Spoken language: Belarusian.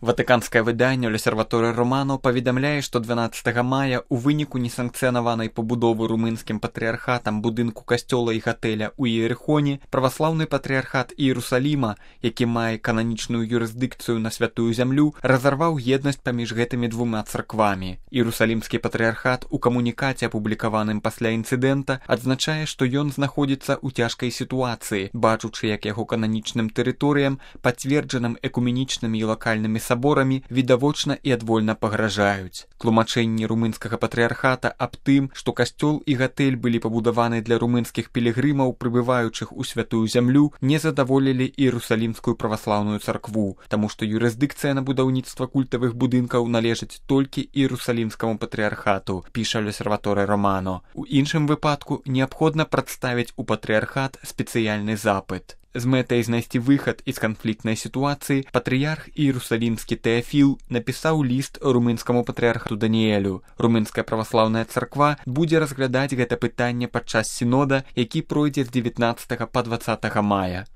Ватыканскае выданне «L'Osservatore Romano» паведамляе, што 12 мая ў выніку несанкцыянаванай пабудовы румынскім патрыархатам будынку касцёла і гатэля ў Іерыхоне праваслаўны патрыархат Іерусаліма, які мае кананічную юрысдыкцыю на святую зямлю, разарваў еднасць паміж гэтымі двума царквамі. Іерусалімскі патрыархат у камунікаце, апублікаваным пасля інцыдэнта, адзначае, што ён знаходзіцца ў цяжкай сітуацыі, бачучы, як яго кананічным тэрыторыям, пацверджаным экуменічнымі і лакальнымі саборамі, відавочна і адвольна пагражаюць. Тлумачэнні румынскага патрыархата аб тым, што касцёл і гатэль былі пабудаваны для румынскіх пілігрымаў, прыбываючых у святую зямлю, не задаволілі Іерусалімскую праваслаўную царкву, таму што юрысдыкцыя на будаўніцтва культавых будынкаў належыць толькі Іерусалімскаму патрыархату, піша «L'Osservatore Romano». У іншым выпадку неабходна прадставіць у патрыархат спецыяльны запыт. З мэтай знайсці выхад з канфліктнай сітуацыі патрыярх Іерусалімскі Тэафіл напісаў ліст румынскаму патрыярхату Даніэлю. Румынская праваслаўная царква будзе разглядаць гэта пытанне падчас сінода, які пройдзе з 19 па 20 мая.